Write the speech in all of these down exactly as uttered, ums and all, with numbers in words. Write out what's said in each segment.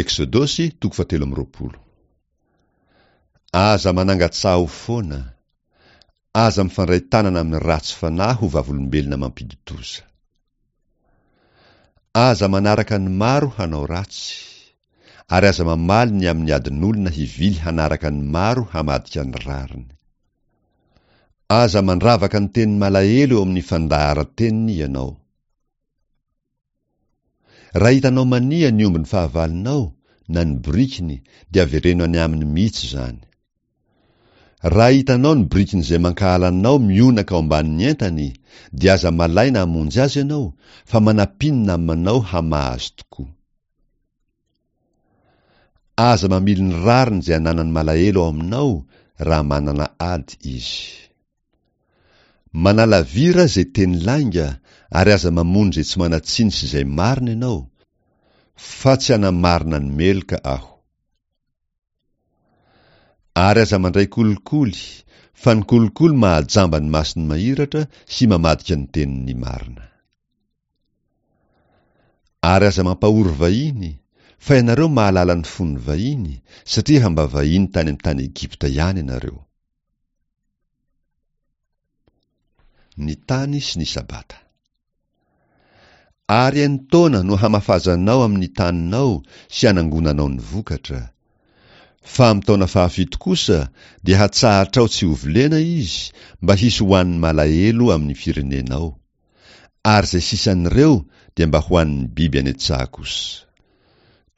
Eksodosy toko fahatelo amby roapolo. Aza manangan-tsaho foana. Aza mifandray tanana amin'ny ratsy fanahy ho vavolombelona mampidi-doza. Aza manaraka ny maro hanao ratsy, ary aza mamaly ny amin'ny adin'olona hivily hanaraka ny maro hamadika ny rariny. Aza mandravaka ny tenin'ny malahelo eo amin'ny fandaharan-teniny ianao. Raha hitanao mania ny ombin'ny fahavalonao na ny borikiny dia avereno any aminy mihitsy izany. Raha hitanao ny borikin'izay mankahala anao mionaka ao ambanin'ny entany dia aza malaina hamonjy azy ianao fa manampia ny namanao hamaha azy tokoa. Aza mamily ny rariny izay ananan'ny malahelo ao aminao raha manana ady izy. Manalavira izay teny lainga ary aza mamono izay tsy manan-tsiny sy izay marina ianao, fa tsy hanamarina ny meloka aho. Ary aza mandray kolikoly, fa ny kolikoly mahajamba ny mason'ny mahiratra sy mamadika ny tenin'ny marina. Ary aza mampahory vahiny, fa ianareo mahalala ny fon'ny vahiny, satria efa mba vahiny tany amin'ny tany Egypta ihany ianareo. Ny tany sy ny Sabata. Ary enin-taona no hamafazanao amin'ny taninao sy hanangonanao ny vokatra. Fa amin'ny taona fahafito kosa dia hatsahatrao tsy hovolena izy mba hisy hohanin'ny malahelo amin'ny firenenao. Ary izay sisan'ireo dia mba hohanin'ny biby any an-tsaha kosa.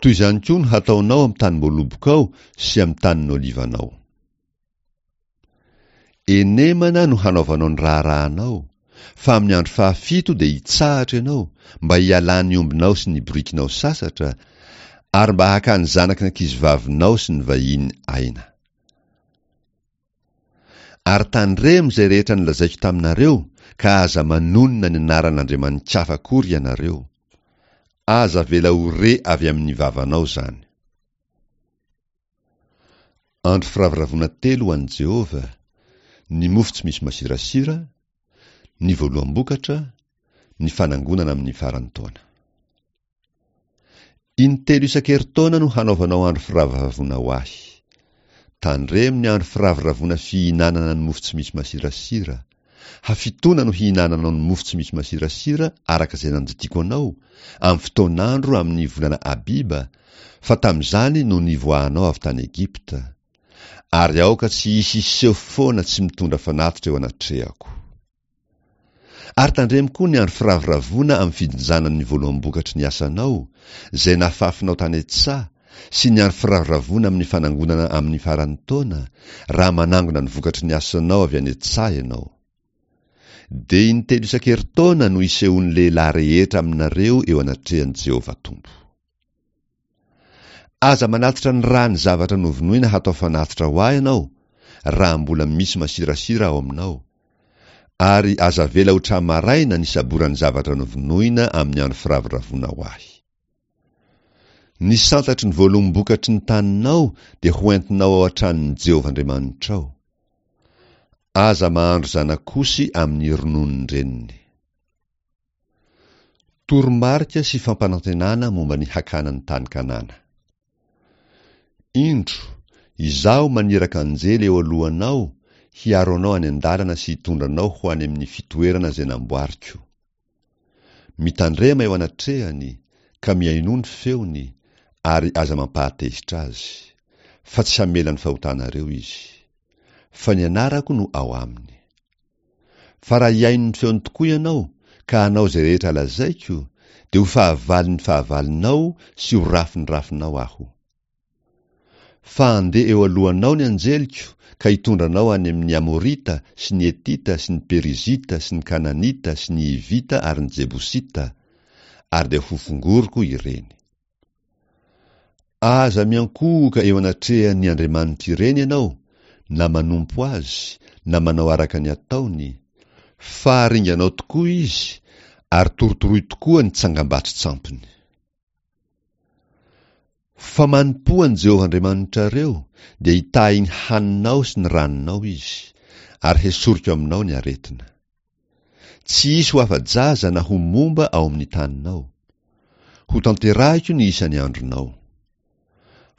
Toy izany koa no hataonao amin'ny tanim-boalobokao sy amin'ny tanin'olivanao. Enemana no hanaovanao ny raharahanao, fa amin'ny andro fahafito dia hitsahatra ianao, mba hialan'ny ombinao sy ny borikinao sasatra, ary mba hakan'ny zanaky ny ankizivavinao sy ny vahiny aina. Ary tandremo izay rehetra nolazaiko taminareo, ka aza manonona ny anaran'andriamani-kafa akory ianareo. Aza avela ho re avy amin'ny vavanao izany. Andro firavoravoana telo ho an'i Jehovah, ny mofo tsy misy masirasira, ny voaloham-bokatra, ny fanangonana amin'ny faran'ny taona. Intelo isan-kerintaona no hanaovanao andro firavoravoana ho ahy. Tandremo ny andro firavoravoana fihinanana ny mofo tsy misy masirasira. Hafitoana no hihinananao ny mofo tsy misy masirasira araka izay nandidiako anao, amin'ny fotoan'andro amin'ny volana Abiba, fa tamin'izany no nivoahanao avy tany Egypta. Ary aoka tsy hisy hiseho foana tsy mitondra fanatitra eo anatrehako. Ary tandremo koa ny andro firavoravoana amin'ny fijinjana ny voaloham-bokatry ny asanao, izay nafafinao tany an-tsaha, sy ny andro firavoravoana amin'ny fanangonana amin'ny faran'ny taona, raha manangona ny vokatry ny asanao avy any an-tsaha ianao. Dia intelo isan-kerintaona no hisehoan'ny lehilahy rehetra aminareo eo anatrehan'i Jehovah Tompo. Aza manatitra ny ràn'ny zavatra novonoina hatao fanatitra ho ahy ianao, raha mbola misy masirasira ao aminao. Ary aza avela ho tra-maraina ny saboran'ny zavatra novonoina amin'ny andro firavoravoana ho ahy. Ny santatry ny voaloham-bokatry ny taninao dia hoentinao ao an-tranon'i Jehovah Andriamanitrao. Aza mahandro zanak'osy amin'ny rononon-dreniny. Toromarika sy fampanantenana momba ny hakana ny tany Kanana. Indro, izaho maniraka anjely eo alohanao hiaro anao any an-dalana sy hitondra anao ho any amin'ny fitoerana izay namboariko. Mitandrema eo anatrehany, ka mihainoa ny feony, ary aza mampahatezitra azy, fa tsy hamela ny fahotanareo izy. Fa ny anarako no ao aminy. Fa raha hihaino ny feony tokoa ianao, ka hanao izay rehetra lazaiko, dia ho fahavalon'ny fahavalonao sy ho rafin'ny rafinao aho. Fa handeha eo alohanao ny anjeliko ka hitondra anao any amin'ny Amorita sy ny Hetita sy ny Perizita sy ny Kananita sy ny Hivita ary ny Jebosita, ary dia hofongoriko ireny. Aza miankohoka eo anatrehan'ny andriamanitr'ireny ianao, na manompo azy, na manao araka ny ataony, fa haringanao tokoa izy, ary torotoroy tokoa ny tsangambato-tsampiny. Fa manompoa an'i Jehovah Andriamanitrareo, dia hitahy ny haninao sy ny ranonao izy, ary hesoriko aminao ny aretina. Tsy hisy ho afa-jaza na ho momba ao amin'ny taninao. Hotanterahiko ny isan'ny andronao.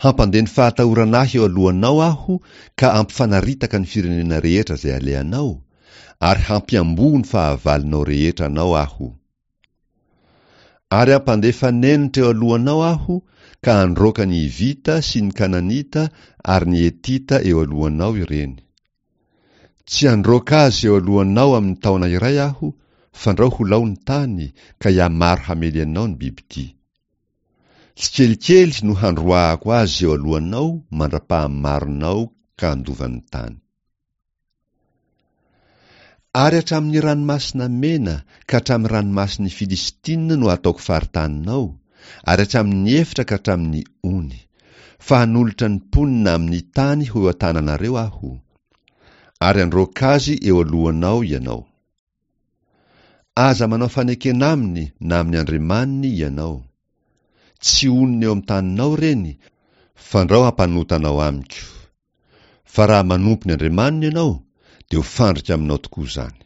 Hampandeha ny fahatahorana ahy eo alohanao aho ka hampifanaritaka ny firenena rehetra izay alehanao, ary hampiamboho ny fahavalonao rehetra anao aho. Ary hampandefa nenitra eo alohanao aho ka handroaka ny Hivita sy ny Kananita ary ny Hetita eo alohanao ireny. Tsy handroaka azy eo alohanao amin'ny taona iray aho, fandrao ho lao ny tany, ka hihamaro hamely anao ny bibidia. Tsikelikely no handroahako azy eo alohanao mandra-pahamaronao ka handova ny tany. Ary hatramin'ny ranomasina mena ka hatramin'ny ranomasin'ny Filistina no hataoko faritaninao, ary hatramin'ny efitra ka hatramin'ny ony. Fa hanolotra ny mponina amin'ny tany ho eo an-tananareo aho, ary handroaka azy eo alohanao ianao. Aza manao fanekena aminy na amin'ny andriamaniny ianao. Tsy honina eo amin'ny taninao ireny, fandrao hampanota anao amiko. Fa raha manompo ny andriamaniny ianao, dia ho fandrika aminao tokoa izany.